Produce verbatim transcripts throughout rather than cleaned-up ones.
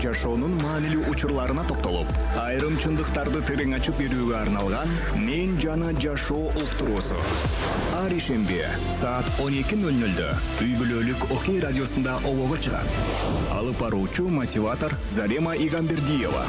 жашоонун маанилүү учурларына токтолуп, айрым чындыктарды терең ачып берүүгө арналган «Мен жана жашоо» уктуруусу. Ар ишемби саат он эки ноль нольдө үй бүлөлүк Окей радиосунда обого чыгат. Алып баруучу мотиватор Зарема Игамбердиева.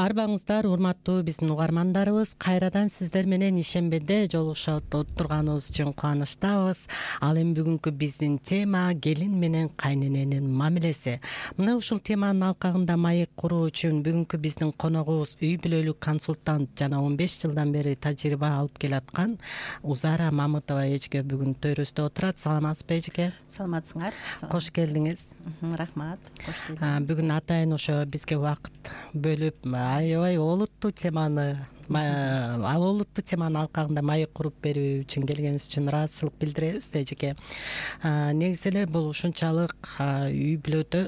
Арбаңыздар, урматтуу биздин угармандарыбыз, кайрадан сиздер менен ишембиде жолугушуп отурганыбыз үчүн кубанычтабыз. Ал эми бүгүнкү биздин тема келин менен кайнененин мамилеси. Мына ушул теманын алкагында маек куруу үчүн бүгүнкү биздин коногубуз үй бүлөлүк консультант жана он беш жылдан бери тажрыйба алып келаткан Узара Мамытова эжеке бүгүн төрүбүздө отурат. Саламатсызбы эжеке? Саламатсыңар. Кош келдиңиз. Рахмат. Кош келдиңиз. Бүгүн атайын ошо бизге убакыт бөлүп аябай олуттуу теманы олуттуу теманын алкагында маек куруп берүү үчүн келгениңиз үчүн ыраазычылык билдиребиз эжеке. Негизи эле бул ушунчалык үй бүлөдө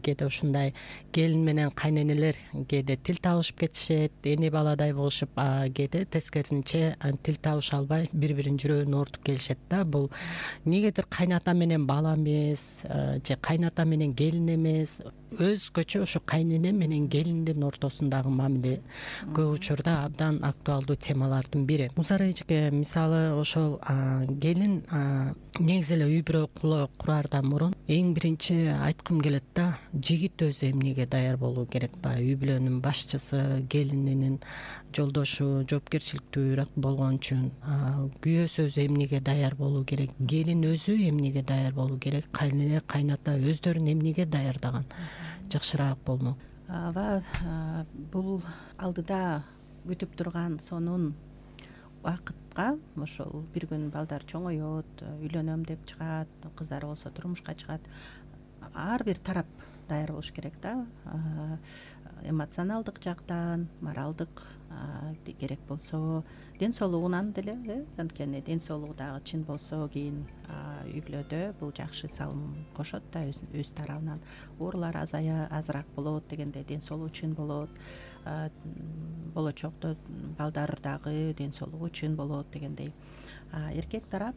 кээде ушундай келин менен кайненелер кээде тил табышып кетишет, эне баладай болушуп, кээде тескерисинче тил табыша албай бири биринин жүрөгүн оорутуп келишет да. Бул негедир кайната менен бала эмес же кайната менен келин эмес, өзгөчө ошо кайнене менен келиндин ортосундагы мамиле көп учурда абдан актуалдуу темалардын бири. Узара эжеке, мисалы ошол келин негизи эле үй бүлө кураардан мурун эң биринчи айткым келет да, жигит өзү эмнеге даяр болуу керек ба? Үй бүлөнүн башчысы, келининин жолдошу, жоопкерчиликтүүрөөк болгон үчүн күйөөсү өзү эмнеге даяр болуу керек? Келин өзү эмнеге даяр болуу керек? Кайнене, кайната өздөрүн эмнеге даярдаган жакшыраак болмок? Ооба, бул алдыда күтүп турган сонун убакытка ошол бир күн балдар чоңоет, үйлөнөм деп чыгат, кыздар болсо турмушка чыгат. Ар бир тарап даяр болуш керек да. Эмоционалдык жактан, моралдык керек болсо, ден соолугунан деле, анткени ден соолугу дагы чын болсо, кийин үй бүлөдө бул жакшы салым кошот да, өз тарабынан. Оорулар азыраак болот дегенде ден соолугу чын болот. Болочокто балдар дагы ден соолугу чын болот дегендей. Эркек тарап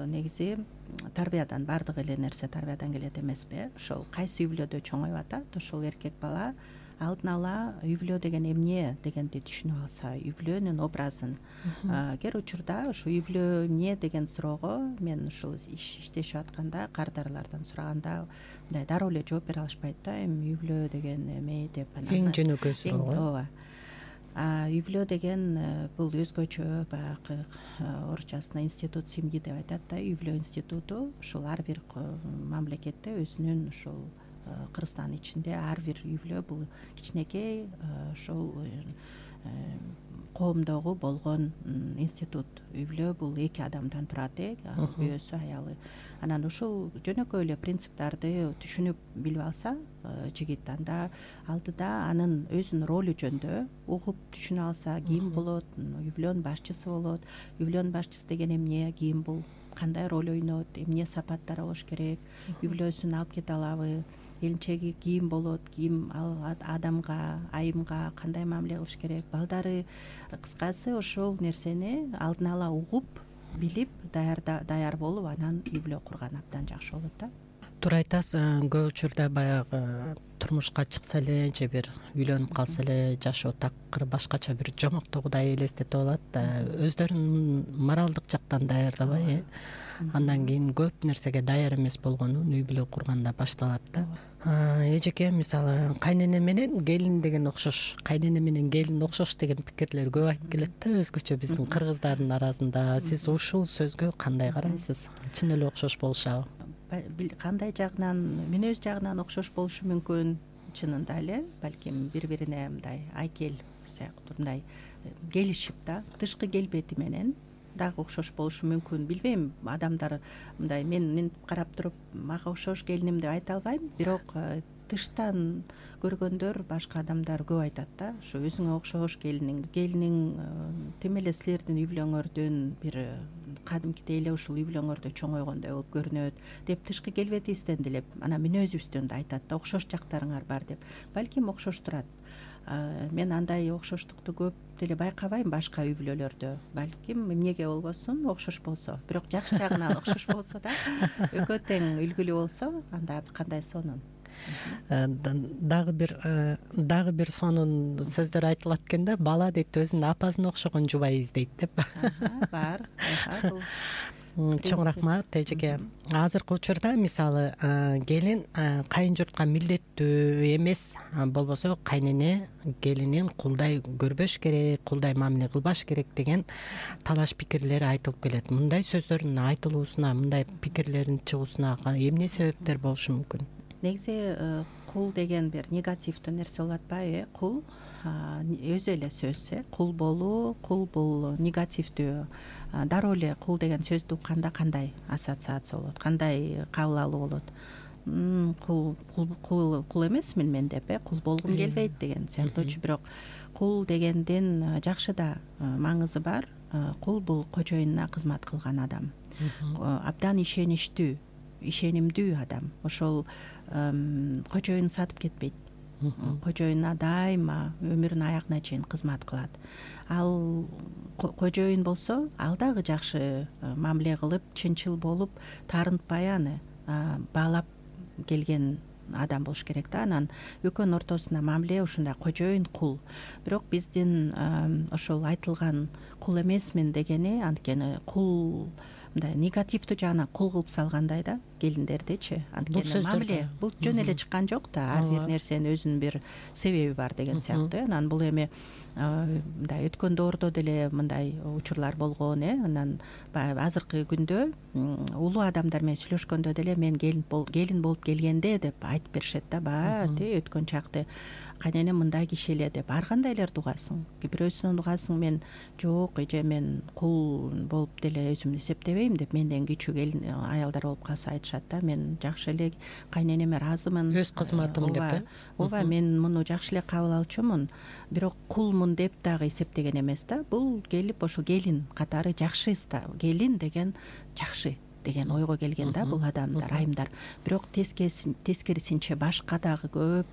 негизи тарбиядан, баардык эле нерсе тарбиядан келет эмеспи? Ошол кайсы үй бүлөдө чоңоюп атат, ошол эркек бала алдын ала үй бүлө деген эмне дегенди түшүнүп алса, үй бүлөнүн образын. Кээ учурда ошо үй бүлө эмне деген суроого мен ушул иштешип атканда кардарлардан сураганда мындай дароо эле жооп бере алышпайт да. Эми үй бүлө деген эме деп эң жөнөкөй суроо. Ооба. Үй бүлө деген бул өзгөчө баягы орусчасына институт семьи деп айтат да. Үй бүлө институту ушул ар бир мамлекетте өзүнүн ушул Кыргызстан ичинде ар бир үй бүлө бул кичинекей ошол коомдогу болгон институт. Үй бүлө бул эки адамдан турат, күйөөсү, аялы. Анан ушул жөнөкөй эле принциптарды түшүнүп билип алса жигит, анда алдыда анын өзүнүн ролу жөнүндө угуп түшүнө алса, ким болот, үй бүлөнүн башчысы болот. Үй бүлөнүн башчысы деген эмне, ким бул, кандай роль ойнойт, эмне сапаттары болуш керек, үй бүлөсүн алып кете алабы, элинчеги ким болот, ким ал адамга, айымга кандай мамиле кылыш керек, балдары. Кыскасы ошол нерсени алдын ала угуп, билип, даяр болуп, анан үй бүлө курган абдан жакшы болот да. Туура айтасыз, көп учурда баягы турмушка чыкса эле же бир үйлөнүп калса эле жашоо такыр башкача бир жомоктогудай элестетип алат да. Өздөрүн моралдык жактан даярдабай, андан кийин көп нерсеге даяр эмес болгонун үй бүлө курганда башталат да. Эжеке, мисалы кайнене менен келин деген окшош, кайнене менен келин окшош деген пикирлер көп айтып келет да, өзгөчө биздин кыргыздардын арасында. Сиз ушул сөзгө кандай карайсыз? Чын эле окшош болушабы? Кандай жагынан, мүнөз жагынан окшош болушу мүмкүн, чынында эле, балким бири-бирине мындай айкел сыяктуу мындай келишип да, тышкы келбети менен дагы окшош болушу мүмкүн. Билбейм, адамдар мындай мен карап туруп мага окшош келиним деп айта албайм, бирок тыштан көргөндөр, башка адамдар көп айтат да, ушу өзүңө окшош келиниң, келиниң тим эле силердин үй бүлөңөрдүн бир кадимкидей эле ушул үй бүлөңөрдө чоңойгондой болуп көрүнөт деп тышкы келбетибизден деле анан мүнөзүбүздөн да айтат да, окшош жактарыңар бар деп. Балким окшош турат. Мен андай окшоштукту көп деле байкабайм башка үй бүлөлөрдө. Балким эмнеге болбосун, окшош болсо, бирок жакшы жагынан окшош болсо да, экөө тең үлгүлүү болсо, анда кандай сонун. дагы бир дагы бир сонун сөздөр айтылат экен да, бала дейт өзүнүн апасына окшогон жубай издейт деп. Бар. Чоң рахмат эжеке. Азыркы учурда мисалы келин кайын журтка милдеттүү эмес, болбосо кайнене келинин кулдай көрбөш керек, кулдай мамиле кылбаш керек деген талаш пикирлер айтылып келет. Мындай сөздөрдүн айтылуусуна, мындай пикирлердин чыгуусуна эмне себептер болушу мүмкүн? Негизи кул деген бир негативдүү нерсе болуп атпайбы? Кул өзү эле сөз, э кул болуу, кул бул негативдүү. Дароо эле кул деген сөздү укканда кандай ассоциация болот, кандай кабыл алуу болот? Кул кул кул эмесмин мен деп, э кул болгум келбейт деген сыяктуучу. Бирок кул дегендин жакшы да маңызы бар. Кул бул кожоюнуна кызмат кылган адам, абдан ишеничтүү, ишенимдүү адам. Ошол кожоюнун сатып кетпейт, кожоюнуна дайыма өмүрүнүн аягына чейин кызмат кылат. Ал кожоюн болсо ал дагы жакшы мамиле кылып, чынчыл болуп, таарынтпай аны баалап келген адам болуш керек да. Анан экөөнүн ортосунда мамиле ушундай кожоюн кул. Бирок биздин ошол айтылган кул эмесмин дегени анткени кул мындай негативдүү жагынан кул кылып салгандай да келиндердичи. Анткени мамиле бул жөн эле чыккан жок да, ар бир нерсенин өзүнүн бир себеби бар деген сыяктуу. Анан бул эми мындай өткөн доордо деле мындай учурлар болгон, э анан баягы азыркы күндө улуу адамдар менен сүйлөшкөндө деле мен келин келин болуп келгенде деп айтып беришет да. Баягы те өткөн чакты кайненем мындай киши эле деп. Ар кандайларды угасың. Бирөөсүнөн угасың, мен жок, эже мен кул болуп деле өзүмдү эсептебейм деп, менден кичүү келин аялдар болуп калса айтышат да, мен жакшы эле кайненеме ыраазымын, өз кызматым деп, э ооба, мен муну жакшы эле кабыл алчумун, бирок кулмун деп дагы эсептеген эмес да. Бул келип ошо келин катары жакшы, келин деген жакшы деген ойго келген да бул адамдар, айымдар. Бирок тескерисинче башка дагы көп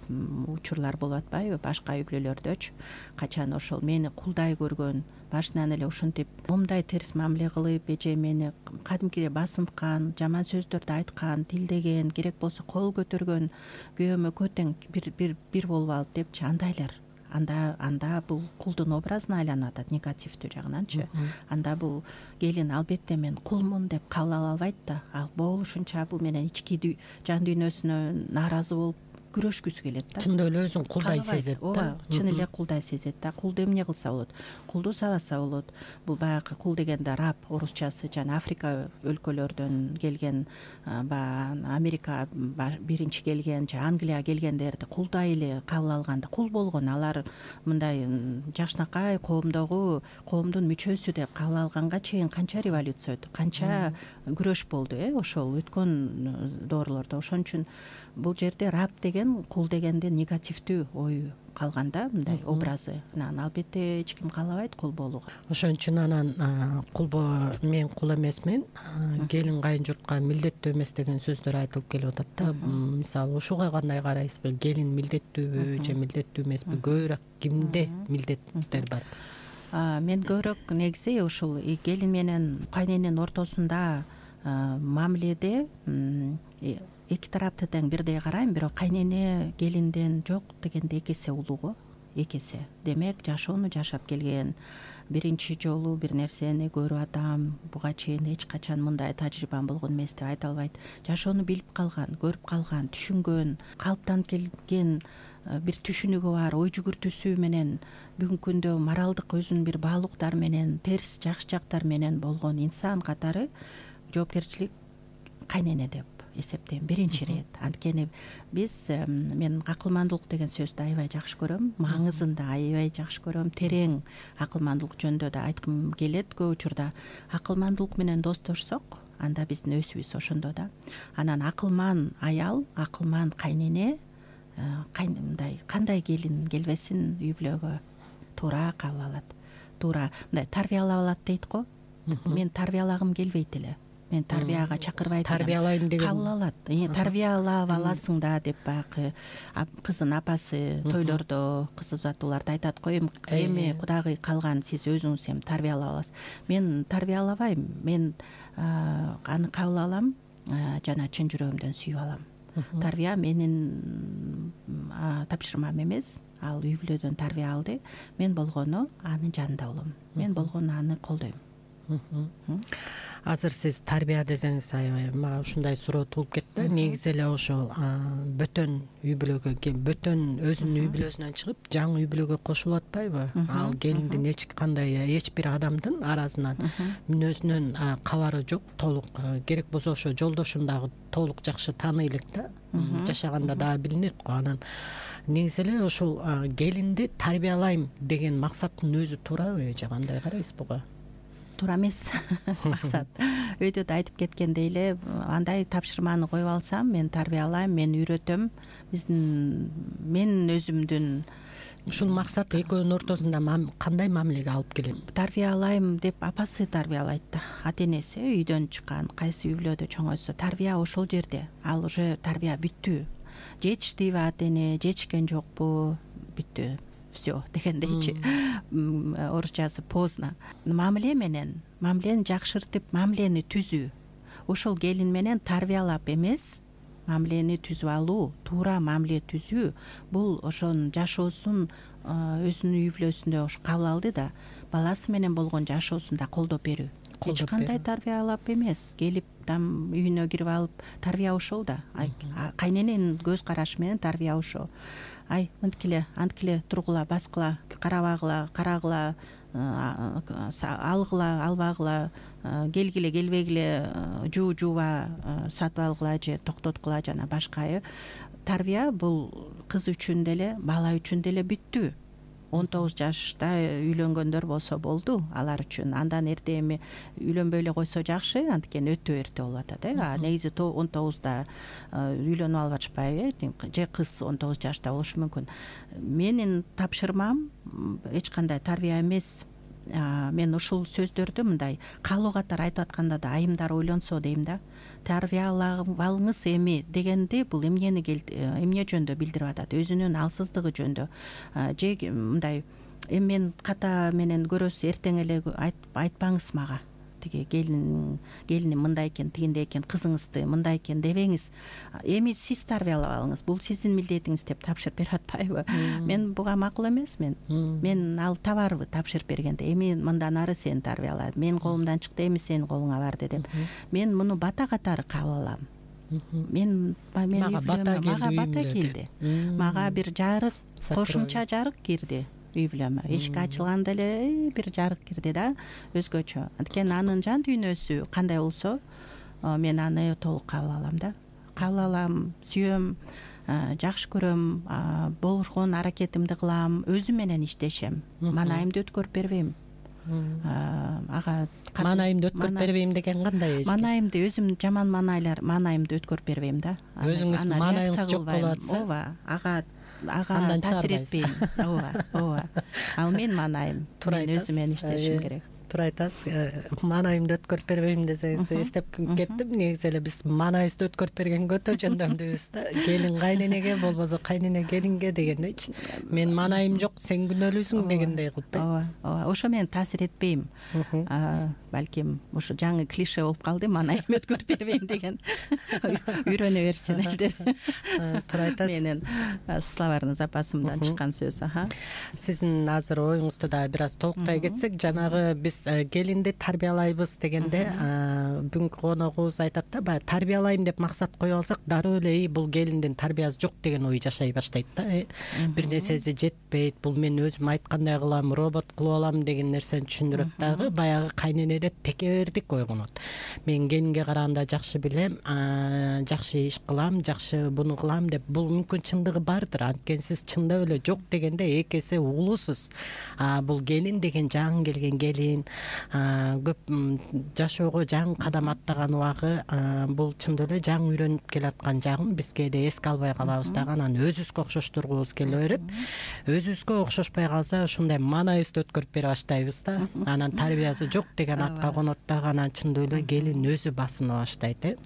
учурлар болуп атпайбы, башка үй бүлөлөрдөчү. Качан ошол мени кулдай көргөн, башынан эле ушинтип момундай терс мамиле кылып, эже мени кадимкидей басынткан, жаман сөздөрдү айткан, тилдеген, керек болсо кол көтөргөн, күйөөмө көтең бир бир бир болуп алып депчи, андайлар. Анда анда бул кулдун образына айланып атат, негативдүү жагынанчы. Анда бул келин албетте мен кулмун деп кабыл ала албайт да. Ал болушунча бул менен ички жан дүйнөсүнө нааразы болуп күрөшкүсү келет да. Чындап эле өзүн кулдай сезет да. Ооба, чын эле кулдай сезет да. Кулду эмне кылса болот? Кулду сабаса болот. Бул баягы кул дегенде раб орусчасы, жана Африка өлкөлөрдөн келген, баягы Америка биринчи келген, же Англия келгендерди кулдай эле кабыл алганда кул болгон, алар мындай жакшынакай коомдогу коомдун мүчөсү деп кабыл алганга чейин канча революция өтүп, канча күрөш болду, э ошол өткөн доорлордо. Ошон үчүн бул жерде раб деген, кул дегенде негативдүү ою калганда, мындай образы. Анан албетте эч ким каалабайт кул болууга. Ошон үчүн анан кул мен кул эмесмин, келин кайын журтка милдеттүү эмес деген сөздөр айтылып келип атат да. Мисалы ушуга кандай карайсызбы? Келин милдеттүүбү же милдеттүү эмеспи? Көбүрөөк кимде милдеттер бар? Мен көбүрөөк негизи ушул келин менен кайнененин ортосунда мамиледе эки тарапты тең бирдей карайм, бирок кайнене келинден жок дегенде эки эсе улуу, эки эсе. Демек жашоону жашап келген, биринчи жолу бир нерсени көрүп атам, буга чейин эч качан мындай тажрыйбам болгон эмес деп айта албайт. Жашоону билип калган, көрүп калган, түшүнгөн, калыптанып келген бир түшүнүгү бар, ой жүгүртүүсү менен бүгүнкү күндө моралдык өзүнүн бир баалуулуктары менен, терс жакшы жактары менен болгон инсан катары жоопкерчилик кайнене деп эсептейм биринчи ирет. Анткени биз, мен акылмандуулук деген сөздү аябай жакшы көрөм, маңызын да аябай жакшы көрөм, терең акылмандуулук жөнүндө да айткым келет көп учурда. Акылмандуулук менен достошсок, анда биздин өсүбүз ошондо да. Анан акылман аял, акылман кайнене мындай кандай келин келбесин үй бүлөгө туура кабыл алат, туура мындай тарбиялап алат дейт го. Мен тарбиялагым келбейт эле, мен тарбияга чакырбайт элем. Тарбиялайм деген кабыл алат. Тарбиялап аласың да деп баягы кыздын апасы тойлордо, кыз узатууларда айтат го, эми кудагый калган сиз өзүңүз эми тарбиялап аласыз. Мен тарбиялабайм, мен аны кабыл алам, жана чын жүрөгүмдөн сүйүп алам. тарбия менин тапшырмам эмес, ал үй бүлөдөн тарбия алды. Мен болгону анын жанында болом, мен болгону аны колдойм. Азыр сиз тарбия десеңиз аябай мага ушундай суроо туулуп кетти. Негизи эле ошол бөтөн үй бүлөгө, бөтөн өзүнүн үй бүлөсүнөн чыгып жаңы үй бүлөгө кошулуп атпайбы? Ал келиндин эч кандай эч бир адамдын арасынан мүнөзүнөн кабары жок, толук керек болсо ошо жолдошун дагы толук жакшы тааный элек да, жашаганда дагы билинет го. Анан негизи эле ошол келинди тарбиялайм деген максаттын өзү туурабы же кандай карайсыз буга? Туура эмес максат. Өйдө да айтып кеткендей эле, андай тапшырманы коюп алсам, мен тарбиялайм, мен үйрөтөм. Биздин мен өзүмдүн ушул максат экөөнүн ортосунда кандай мамилеге алып келет? Тарбиялайм деп апасы тарбиялайт да. Ата энеси үйдөн чыккан, кайсы үй бүлөдө чоңойсо, тарбия ошол жерде. Ал уже тарбия бүттү. Жетиштиби ата эне, жетишкен жокпу, бүттү. Все дегендейчи, орусчасы поздно. Мамиле менен, мамилени жакшыртып, мамилени түзүү. Ошол келин менен тарбиялап эмес, мамилени түзүп алуу, туура мамиле түзүү, бул ошонун жашоосун өзүнүн үй бүлөсүндө ош кабыл алды да, баласы менен болгон жашоосунда колдоп берүү. Эч кандай тарбиялап эмес, келип там үйүнө кирип алып, тарбия ошол да. Кайнененин көз карашы менен тарбия ошол. Ай, мынткиле, анткиле тургула, баскыла, карабагыла, карагыла, алгыла, албагыла, келгиле, келбегиле, жуу жууба, сатып алгыла же токтоткула жана башка. Тарбия бул кыз үчүн деле, бала үчүн деле бүттү. он тогуз жашта үйлөнгөндөр болсо болду алар үчүн. Андан эрте эми үйлөнбөй эле койсо жакшы, анткени өтө эрте болуп атат э. Негизи он тогузда үйлөнүп алып атышпайбы, же кыз он тогуз жашта болушу мүмкүн. Менин тапшырмам эч кандай тарбия эмес. Мен ушул сөздөрдү мындай каалоо катары айтып атканда да айымдар ойлонсо дейм да. Тарбиялаңыз эми дегенде бул эмнени эмне жөндө билдирип атат? Өзүнүн алсыздыгы жөндө. Же мындай эми мен ката менен көрөсүз, эртең эле айтпаңыз мага. Тиги келин келиним мындай экен, тигиндей экен, кызыңызды мындай экен дебеңиз. Эми сиз тарбиялап алыңыз. Бул сиздин милдетиңиз деп тапшырып берип атпайбы? Мен буга макул эмесмин. Мен ал табарбы тапшырып бергенде. Эми мындан ары сени тарбияла. Мен колумдан чыкты, эми сенин колуңа барды деп. Мен муну бата катары кабыл алам. Мен мага бата келди. Мага бир жарык, кошумча жарык кирди. Үй бүлөмө эшик ачылганда эле бир жарык кирди да, өзгөчө. Анткени анын жан дүйнөсү кандай болсо, мен аны толук кабыл алам да. Кабыл алам, сүйөм, жакшы көрөм, болгон аракетимди кылам, өзүм менен иштешем. Манайымды өткөрүп бербейм. Ага манайымды өткөрүп бербейм деген кандай? Манайымды өзүм жаман манайлар, манайымды өткөрүп бербейм да. Өзүңүз манайыңыз жок болуп атса, ооба, ага ага таасир этпейм. Ооба, ооба. Ал мен манайым, мен өзүм менен иштешим керек. Туура айтасыз. Манайымды өткөрүп бербейм десеңиз эстеп кеттим. Негизи эле биз манайыбызды өткөрүп бергенге өтө жөндөмдүүбүз да. Келин кайненеге, болбосо кайнене келинге дегендейчи. Мен манайым жок, сен күнөөлүүсүң дегендей кылып. Ооба, ооба. Ошо менен таасир этпейм. Балким ушу жаңы клише болуп калды, манайым өткөрүп бербейм деген. Үйрөнө берсин элдер. Туура айтасыз. Менин словарный запасымдан чыккан сөз. Сиздин азыр оюңузду да бир аз толуктай кетсек, жанагы биз келинди тарбиялайбыз дегенде бүгүнкү коногубуз айтат да, баягы тарбиялайм деп максат коюп алсак, дароо эле бул келиндин тарбиясы жок деген ой жашай баштайт да. Бир нерсеси жетпейт, бул мен өзүм айткандай кылам, робот кылып алам деген нерсени түшүндүрөт дагы. Баягы кайненеде текебердик ойгонот. Мен келинге караганда жакшы билем, жакшы иш кылам, жакшы буну кылам деп. Бул мүмкүн чындыгы бардыр, анткени сиз чындап эле жок дегенде эки эсе улуусуз. Бул келин деген жаңы келген келин, көп жашоого жаңы кадам аттаган убагы, бул чындап эле жаңы үйрөнүп келаткан жагын биз кээде эске албай калабыз дагы. Анан өзүбүзгө окшоштургубуз келе берет. Өзүбүзгө окшошпой калса, ушундай манайыбызды өткөрүп бере баштайбыз да. Анан тарбиясы жок деген атка конот дагы. Анан чындап эле келин өзү басына баштайт э.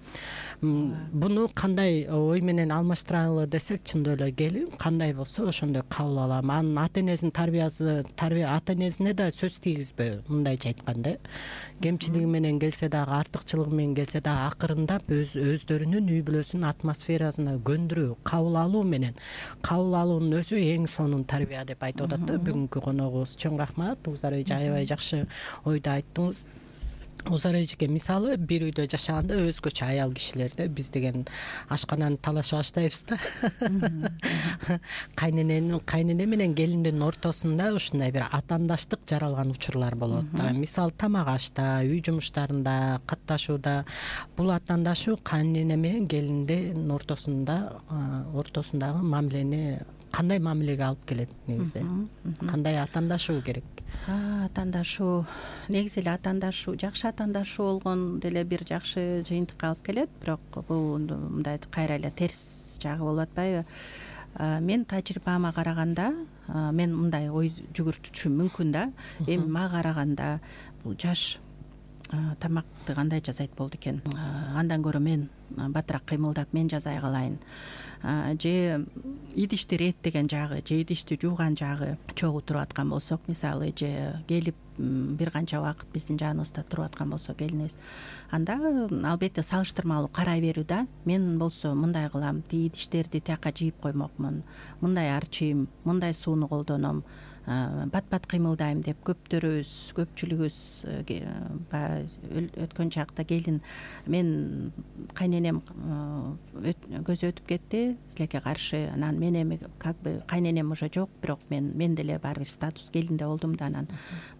Буну кандай ой менен алмаштыралы десек, чындап эле келин кандай болсо ошондой кабыл алам. Анын ата энесинин тарбиясы, тарбия ата энесине да сөз тийгизбөйбү. Мындай башкача айтканда кемчилиги менен келсе дагы артыкчылыгы менен келсе дагы акырындап өз өздөрүнүн үй бүлөсүнүн атмосферасына көндүрүү, кабыл алуу менен кабыл алуунун өзү эң сонун тарбия деп айтып атат да бүгүнкү коногубуз. Чоң рахмат Узар эже, аябай жакшы ойду айттыңыз. Узар эжеге мисалы бир үйдө жашаганда өзгөчө аял кишилерде биз деген ашкананы талашып баштайбыз да. Кайнененин кайнене менен келиндин ортосунда ушундай бир атаандаштык жаралган учурлар болот. Мисалы тамак ашта, үй жумуштарында, катташууда бул атаандашуу кайнене менен келиндин ортосунда ортосундагы мамилени кандай мамилеге алып келет негизи? Кандай атаандашуу керек? Атаандашуу негизи эле атаандашуу жакшы атаандашуу болгон деле бир жакшы жыйынтыкка алып келет, бирок бул мындай кайра эле терс жагы болуп атпайбы? Мен тажрыйбама караганда мен мындай ой жүгүртүшүм мүмкүн да. Эми мага караганда бул жаш тамакты кандай жасайт болду экен? Андан көрө мен батыраак кыймылдап мен жасай калайын. Же идишти иреттеген жагы, же идишти жууган жагы чогуу туруп аткан болсок, мисалы, же келип бир канча убакыт биздин жаныбызда туруп аткан болсо келинибиз, анда албетте салыштырмалуу карай берүү да. Мен болсо мындай кылам, тиги идиштерди тияка жийип коймокмун, мындай арчийм, мындай сууну колдоном, бат-бат кыймылдайм деп көптөрүбүз, көпчүлүгүбүз баягы өткөн чакта келин мен кайненем көзү өтүп кетти, тилекке каршы, анан мен эми как бы кайненем уже жок, бирок мен мен деле баары бир статус келинде болдум да, анан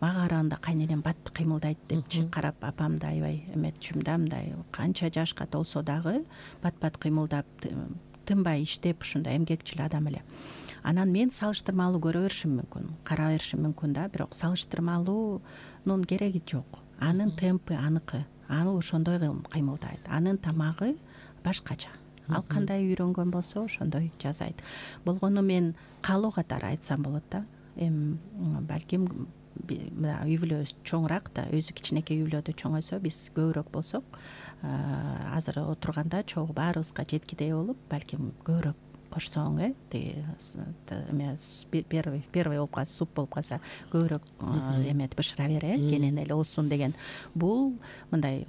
мага караганда кайненем бат кыймылдайт депчи карап апамды аябай эметчүм да, мындай канча жашка толсо дагы бат-бат кыймылдап тынбай иштеп ушундай эмгекчил адам эле. Анан мен салыштырмалуу көрө беришим мүмкүн, кара беришим мүмкүн да, бирок салыштырмалуунун кереги жок. Анын темпи аныкы, аны ошондой кыймылдайт, анын тамагы башкача. Ал кандай үйрөнгөн болсо ошондой жасайт. Болгону мен каалоо катары айтсам болот да. Эми балким үй бүлөбүз чоңураак да, өзү кичинекей үй бүлөдө чоңойсо, биз көбүрөөк болсок, азыр отурганда чогуу баарыбызга жеткидей болуп, балким көбүрөөк кошсоң, э, тиги первый первый болуп калса, суп болуп калса, көбүрөөк эметип бышыра бер, э, кенен эле болсун деген. Бул мындай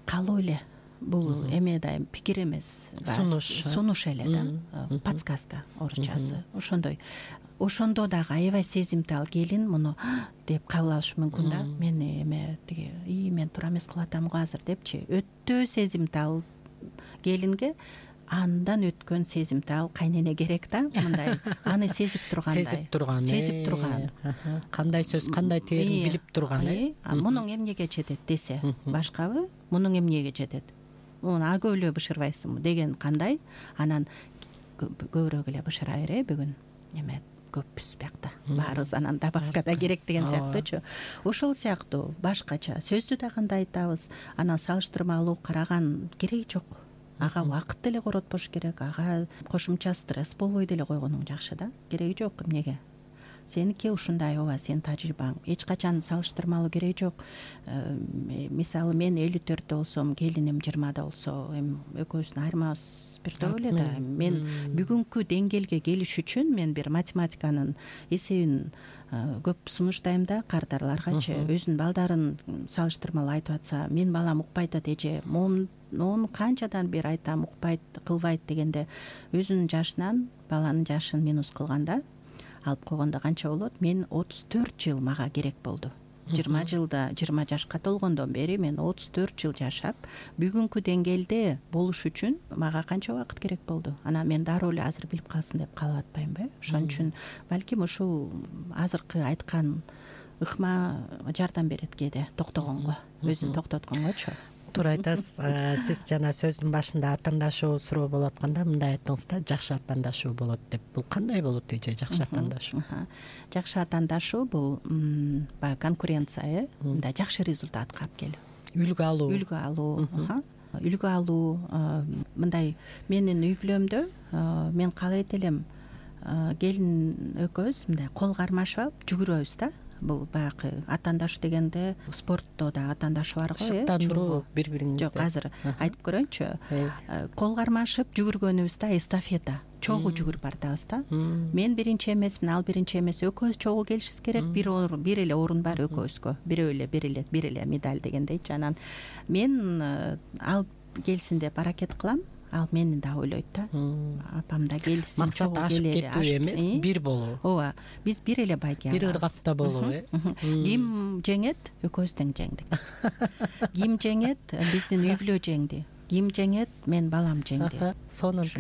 каалоо эле. Бул эме да пикир эмес, сунуш сунуш эле да, подсказка орусчасы. Ошондой. Ошондо дагы аябай сезимтал келин муну деп кабыл алышы мүмкүн да. Мен эме тиги и мен туура эмес кылып атам го азыр депчи. Өтө сезимтал келинге андан өткөн сезимтал кайнене керек да, мындай аны сезип тургандай. Сезип турган, сезип турган. Кандай сөз, кандай теерин билип турган, э. Мунуң эмнеге жетет десе, башкабы мунуң эмнеге жетет? Муну агө эле бышырбайсыңбы деген кандай? Анан көбүрөөк эле бышыра бер, бүгүн эме көппүз биякта. Баарыбыз анан добавка да керек деген сыяктуучу. Ошол сыяктуу башкача сөздү да кандай айтабыз, анан салыштырмалуу караган кереги жок. Ага убакыт деле коротпош керек, ага кошумча стресс болбой деле койгонуң жакшы да. Кереги жок эмнеге? Сеники ушундай, ооба, сенин тажрыйбаң. Эч качан салыштырмалуу кереги жок. Мисалы, мен элүү төрттө болсом, келиним жыйырмада болсо, эми экөөбүздүн айырмабыз бирдөө эле да. Мен бүгүнкү деңгээлге келиш үчүн мен бир математиканын эсебин көп сунуштайм да кардарларгачы. Өзүнүн балдарын салыштырмалуу айтып атса, мен балам укпайт атат, эже, мону канчадан бери айтам, укпайт, кылбайт дегенде, өзүнүн жашынан баланын жашын минус кылганда алып койгондо канча болот? Мен отуз төрт жыл мага керек болду. жыйырма жылда, жыйырма жашка толгондон бери мен отуз төрт жыл жашап, бүгүнкү деңгээлде болуш үчүн мага канча убакыт керек болду? Анан мен дароо эле азыр билип калсын деп калып атпаймынбы? Ошон үчүн балким ушул азыркы айткан ыкма жардам берет кээде токтогонго, өзүн токтотконгочу. Туура айтасыз. Сиз жана сөздүн башында атаандашуу суроо болуп атканда мындай айттыңыз да, жакшы атаандашуу болот деп. Бул кандай болот эже, жакшы атаандашуу? Жакшы атаандашуу бул баягы конкуренция, э, мындай жакшы результатка алып келүү. Үлгү алуу. Үлгү алуу. Үлгү алуу, мындай менин үй бүлөмдө мен каалайт элем, келин экөөбүз мындай кол кармашып алып жүгүрөбүз да. бул баягы атаандаш дегенде спортто да атаандаш бар го, э шыктандыруу бири бириңизди. Жок, азыр айтып көрөйүнчү. Кол кармашып жүгүргөнүбүз да эстафета, чогуу жүгүрүп баратабыз да. Мен биринчи эмесмин, ал биринчи эмес, экөөбүз чогуу келишибиз керек. Бир орун, бир эле орун бар экөөбүзгө. Бирөө эле, бир эле, бир эле медаль дегендейчи. Анан мен ал келсин деп аракет кылам. Ал мени да ойлойт да. Апам да келсин. Максат ашып кетүү эмес, бир болуу. Ооба, биз бир эле байге алабыз. Бир ыргакта болуу, э. Ким жеңет? Экөөбүз тең жеңдик. Ким жеңет? Биздин үй бүлө жеңди. Ким жеңет? Мен балам жеңди. Сонун.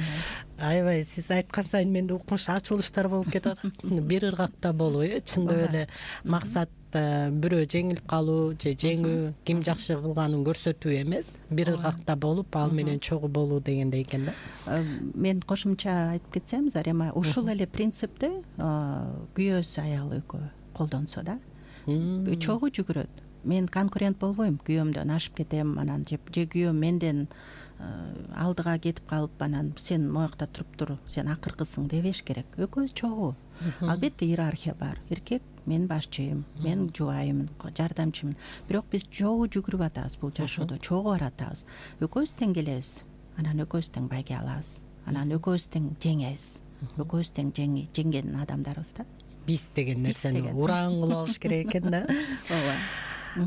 Аябай сиз айткан сайын менде укмуш ачылыштар болуп кетет. Бир ыргакта болуу, э, чындап эле максат бирөө жеңилип калуу же жеңүү, ким жакшы кылганын көрсөтүү эмес, бир ыргакта болуп, ал менен чогуу болуу дегендей экен да. Мен кошумча айтып кетсем, Зарема, ушул эле принципти күйөөсү аялы экөө колдонсо да, чогуу жүгүрөт. Мен конкурент болбойм, күйөөмдөн ашып кетем, анан же күйөөм менден алдыга кетип калып, анан сен моякта туруп тур, сен акыркысың дебеш керек. Экөөбүз чогуу. Албетте иерархия бар. Эркек мен башчымын, мен жубайымын, жардамчымын. Бирок биз чогуу жүгүрүп атабыз бул жашоодо, чогуу баратабыз. Экөөбүз тең келебиз. Анан экөөбүз тең байге алабыз. Анан экөөбүз тең жеңебиз. Экөөбүз тең жеңген адамдарбыз да. Биз деген нерсени ураан кылып алыш керек экен да. Ооба.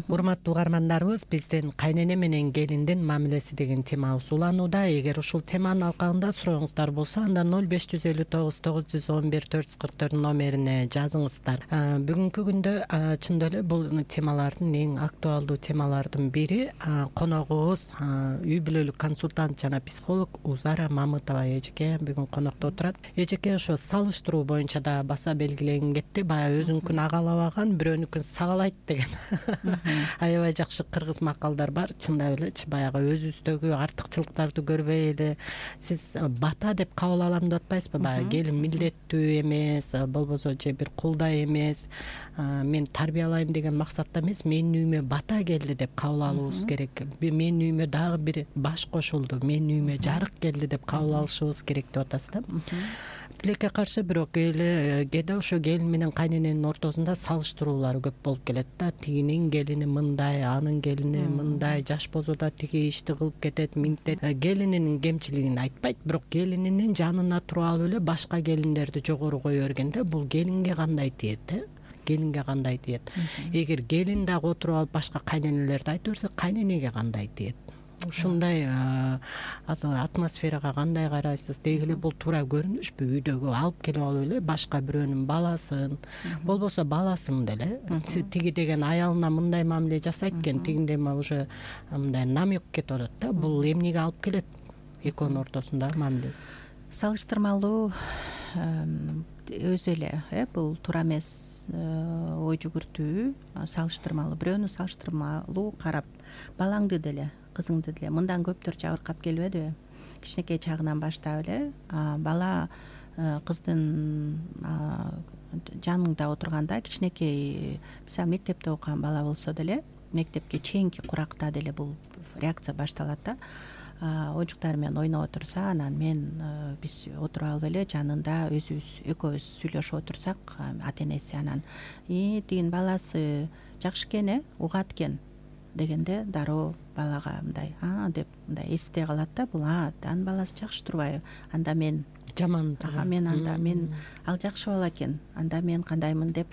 Урматтуу угармандарыбыз, бизден кайнене менен келиндин мамилеси деген темабыз уланууда. Эгер ушул теманын алкагында сурооңуздар болсо, анда ноль беш жүз элүү тогуз тогуз жүз он бир төрт жүз кырк төрт номерине жазыңыздар. Бүгүнкү күндө чындап эле бул темалардын эң актуалдуу темалардын бири. Коногубуз үй бүлөлүк консультант жана психолог Узара Мамытова эжеке бүгүн конокто отурат. Эжеке ошо салыштыруу боюнча да баса белгилеген кетти. Баягы өзүнкүн агалабаган, бирөөнүкүн сагалайт деген аябай жакшы кыргыз макалдар бар. Чындап элечи баягы өзүбүздөгү артыкчылыктарды көрбөй эле сиз бата деп кабыл алам деп атпайсызбы? Баягы келин милдеттүү эмес, болбосо же бир кулдай эмес, мен тарбиялайм деген максатта эмес, менин үйүмө бата келди деп кабыл алуубуз керек. Менин үйүмө дагы бир баш кошулду, менин үйүмө жарык келди деп кабыл алышыбыз керек деп атасыз да. Тилекке каршы бирок кээде ошо келин менен кайнененин ортосунда салыштыруулар көп болуп келет да. Тигинин келини мындай, анын келини мындай, жаш бозода тиги ишти кылып кетет, минтет. Келининин кемчилигин айтпайт, бирок келининин жанына туруп алып эле башка келиндерди жогору кое берген да. Бул келинге кандай тиет, э? Келинге кандай тиет? Эгер келин дагы отуруп алып башка кайненелерди айта берсе, кайненеге кандай тиет? Ушундай атмосферага кандай карайсыз? Деги эле бул туура көрүнүшпү? Үйдөгү алып келип алып эле башка бирөөнүн баласын, болбосо баласын деле, тиги деген аялына мындай мамиле жасайт экен, тигиндей уже мындай намек кетип атат да. Бул эмнеге алып келет экөөнүн ортосундагы мамиле? Салыштырмалуу өзү эле, э бул туура эмес ой жүгүртүү. Салыштырмалуу, бирөөнү салыштырмалуу карап, балаңды деле, кызыңды деле мындан көптөр жабыркап келбедиби? Кичинекей чагынан баштап эле бала кыздын жаныңда отурганда, кичинекей мисалы мектепте окуган бала болсо деле, мектепке чейинки куракта деле бул реакция башталат да. Ойжуктар менен ойноп отурса, анан мен биз отуруп алып эле жанында өзүбүз экөөбүз сүйлөшүп отурсак, ата энеси анан и тигин баласы жакшы экен, э угат экен дегенде дароо балага мындай а деп мындай эсте калат да. Бул а анын баласы жакшы турбайбы? Анда мен жаман, мен анда мен ал жакшы бала экен, анда мен кандаймын деп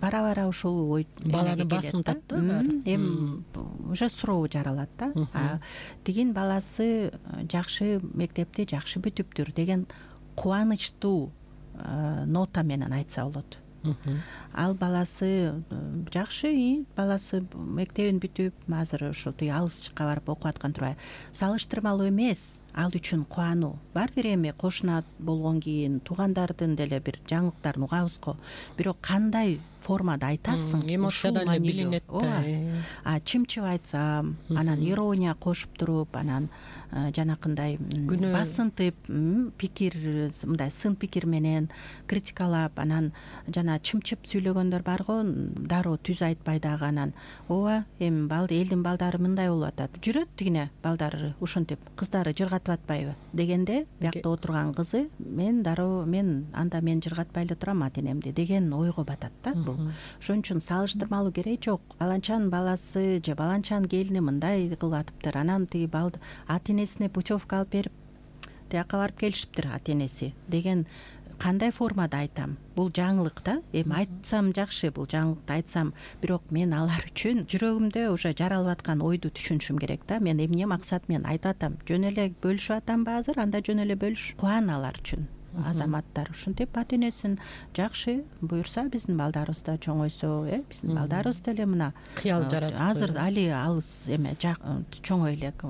бара бара ушул ой баланы басынтат да. Эми уже суроо жаралат да. Тигин баласы жакшы мектепти жакшы бүтүптүр деген кубанычтуу нота менен айтса болот. Ал баласы жакшы, баласы мектебин бүтүп, азыр ушул тиги алыс жакка барып окуп аткан турбайбы? Салыштырмалуу эмес, ал үчүн кубануу. Бар бир эми кошуна болгон кийин туугандардын деле бир жаңылыктарын угабыз го. Бирок кандай формада айтасың, эмоциядан эле билинет. А чымчып айтсам, анан ирония кошуп туруп, анан жанакындай басынтып, пикир мындай сын пикир менен критикалап, анан жана чымчып сүйлөгөндөр бар го, дароо түз айтпай дагы анан ооба эми балды элдин балдары мындай болуп атат, жүрөт тигине балдары ушинтип, кыздары жыргатып атпайбы дегенде, биякта отурган кызы мен дароо мен анда мен жыргатпай эле турам ата энемди деген ойго батат да. Бул ошон үчүн салыштырмалуу кереги жок. Баланчанын баласы же баланчанын келини мындай кылып атыптыр, анан тиги ата энесине путевка алып берип тияка барып келишиптир ата энеси деген кандай формада айтам? Бул жаңылык да. Эми айтсам жакшы, бул жаңылыкты айтсам, бирок мен алар үчүн жүрөгүмдө уже жаралып аткан ойду түшүнүшүм керек да. Мен эмне максат менен айтып атам? Жөн эле бөлүшүп атамбы азыр? Анда жөн эле бөлүш. Кубан алар үчүн. Азаматтар ушинтип ата энесин жакшы буюрса биздин балдарыбыз да чоңойсо, э биздин балдарыбыз деле мына кыял жаратып азыр али алыс эме чоңой элек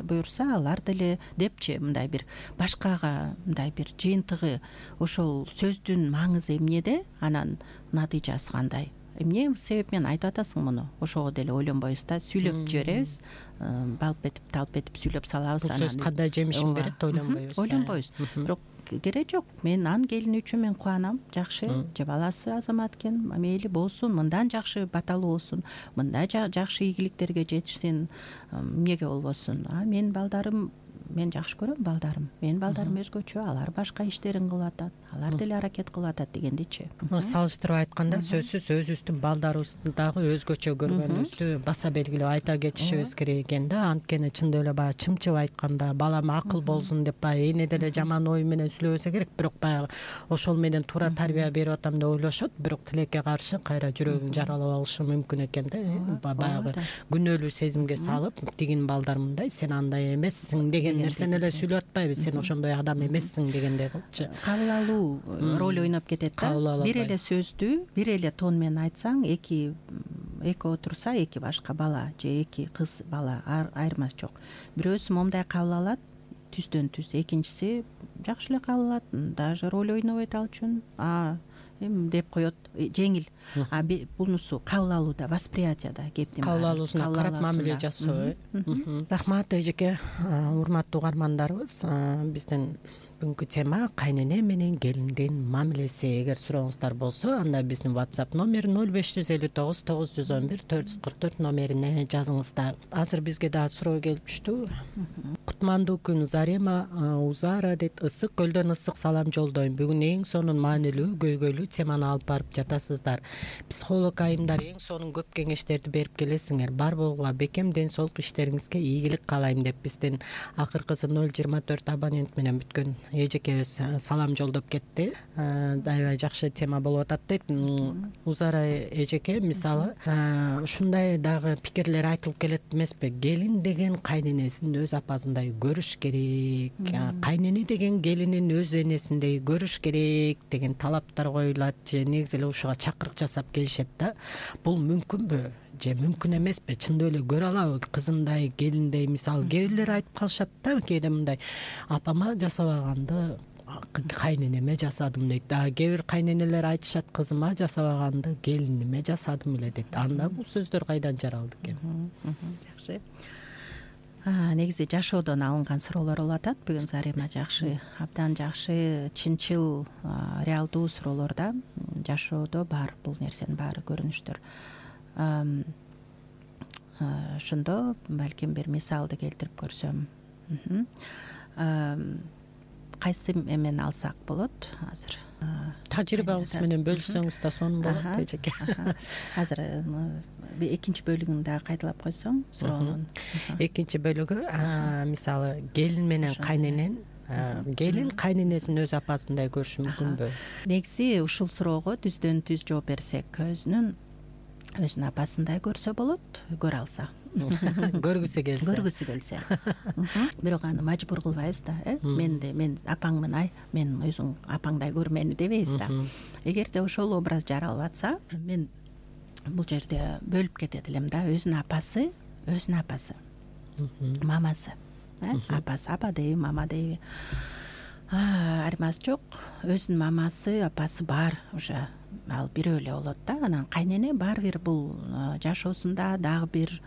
буюрса алар деле депчи мындай бир башкага мындай бир жыйынтыгы ошол сөздүн маңызы эмнеде, анан натыйжасы кандай? Эмне себеп менен айтып атасың муну? Ошого деле ойлонбойбуз да, сүйлөп жиберебиз, балып этип талып этип сүйлөп салабыз. Бул сөз кандай жемишин берет ойлонбойбуз. Ойлонбойбуз. Бирок кереги жок. Мен анын келини үчүн мен кубанам. Жакшы, же баласы азамат экен, мейли болсун, мындан жакшы баталуу болсун, мындай жакшы ийгиликтерге жетишсин, эмнеге болбосун. А менин балдарым, мен жакшы көрөм балдарым. Менин балдарым өзгөчө, алар башка иштерин кылып атат, алар деле аракет кылып атат дегендичи. Салыштырып айтканда сөзсүз өзүбүздүн балдарыбызды дагы өзгөчө көргөнүбүздү баса белгилеп айта кетишибиз керек экен да. Анткени чындап эле баягы чымчып айтканда, балам акыл болсун деп баягы эне деле жаман ой менен сүйлөбөсө керек, бирок баягы ошол менен туура тарбия берип атам деп ойлошот, бирок тилекке каршы кайра жүрөгүн жаралап алышы мүмкүн экен да. Баягы күнөөлүү сезимге салып, тигинин балдар мындай, сен андай эмессиң деген нерсени эле сүйлөп атпайбы, сен ошондой адам эмессиң дегендей кылчы. Кабыл алуу роль ойноп кетет да. Бир эле сөздү бир эле тон менен айтсаң, эки эки отурса, эки башка бала же эки кыз бала айырмасы жок. Бирөөсү момундай кабыл алат, түздөн түз. Экинчиси жакшы эле кабыл алат, даже роль ойнобойт ал үчүн. А эми деп коет, жеңил. А бунусу кабыл алууда, восприятияда кептин кабыл алуусуна карап мамиле жасоо. Рахмат эжеке, урматтуу угармандарыбыз. Биздин бүгүнкү тема кайнене менен келиндин мамилеси. Эгер сурооңуздар болсо, анда биздин WhatsApp номери ноль беш жүз элүү тогуз тогуз жүз он бир төрт жүз кырк төрт номерине жазыңыздар. Азыр бизге дагы суроо келип түштү. Кутмандуу күн Зарема Узара дейт. Ысык көлдөн ысык салам жолдойм. Бүгүн эң сонун маанилүү, көйгөйлүү теманы алып барып жатасыздар. Психолог айымдар эң сонун көп кеңештерди берип келесиңер. Бар болгула бекем ден соолук иштериңизге ийгилик каалайм деп биздин акыркысы ноль жыйырма төрт абонент менен бүткөн эжекебиз салам жолдоп кетти. Аябай жакшы тема болуп атат дейт. Узара эжеке, мисалы ушундай дагы пикирлер айтылып келет эмеспи? Келин деген кайненесин өз апасындай көрүш керек, кайнене деген келинин өз энесиндей көрүш керек деген талаптар коюлат же негизи эле ушуга чакырык жасап келишет да. Бул мүмкүнбү же мүмкүн эмеспи? Чындап эле көрө алабы кызымдай, келиндей? Мисалы кээ бирлер айтып калышат да, кээде мындай, апама жасабаганды кайненеме жасадым дейт. А кээ бир кайненелер айтышат, кызыма жасабаганды келиниме жасадым эле дейт. Анда бул сөздөр кайдан жаралды экен? Жакшы. Негизи жашоодон алынган суроолор болуп атат. Бүгүн Зарема жакшы, абдан жакшы, чынчыл, реалдуу суроолор да. Жашоодо бар бул нерсенин баары көрүнүштөр. Ошондо балким бир мисалды келтирип көрсөм. Кайсы эмени алсак болот азыр? Тажрыйбаңыз менен бөлүшсөңүз да сонун болот эжеке. Азыр экинчи бөлүгүн дагы кайталап койсоң суроонун. Экинчи бөлүгү мисалы келин менен кайненен, келин кайненесин өз апасындай көрүшү мүмкүнбү? Негизи ушул суроого түздөн түз жооп берсек, өзүнүн өзүнүн апасындай көрсө болот, көрө алса. Көргүсү келсе. Көргүсү келсе. Бирок аны мажбур кылбайбыз да, э? Мен де мен апаңмын, ай, мен өзүң апаңдай көр мени дебейбиз да. Эгерде ошол образ жаралып атса, мен бул жерде бөлүп кетет элем да. Өзүнүн апасы, өзүнүн апасы. Мамасы, э? Апасы, апа дейби, мама дейби. Айырмасы жок. Өзүнүн мамасы, апасы бар уже. Ал бирөө эле болот да. Анан кайнене баары бир бул жашоосунда дагы бир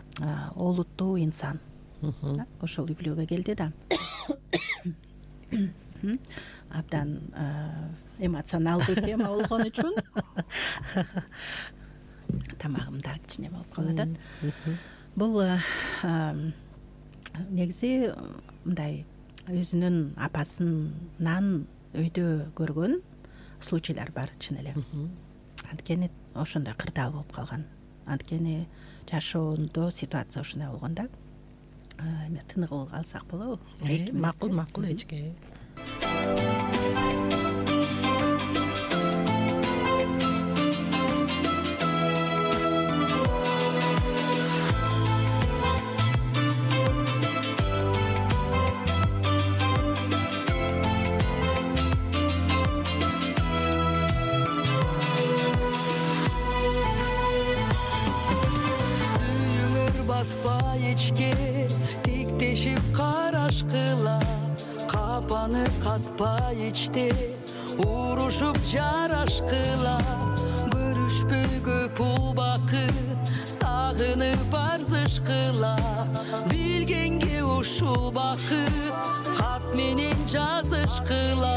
олуттуу инсан. Ошол үглөөгө келди да. Абдан эмоционалдуу тема болгон үчүн тамагым да кичине болуп калып атат. Бул негизи мындай өзүнүн апасынан өйдө көргөн случайлар бар чын эле. анткени ошондой кырдаал болуп калган. Анткени жашоондо ситуация ушундай болгон да. Эме тыныгып алсак болобу? Макул, макул эчке. Тиктешип карашкыла, капаны катпай ичте, урушуп жарашкыла, көрүшпөй көп убакыт, сагынып арзышкыла, билгенге ушул бакыт, кат менен жазышкыла.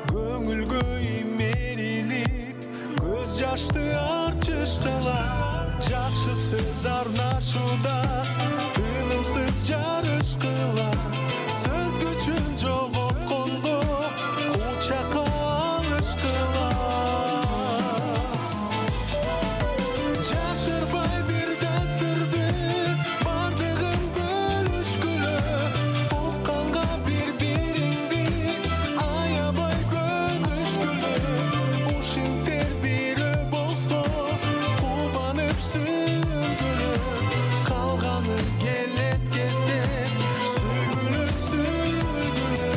Көңүлгө имерилип, көз жашты арчышкыла, жакшы сөз арнашууда, тынымсыз жарышкыла, сөз күчүн жоготкондо, кучакка алышкыла. Жашырбай бир дасырды, бардыгын бөлүшкүлө, укканга бири-бириңди аябай көнүшкүлө, ушинтер бири болсо кубанып сүйүнгүлө, калганы келет кетет сүйгүлө сүйгүлө.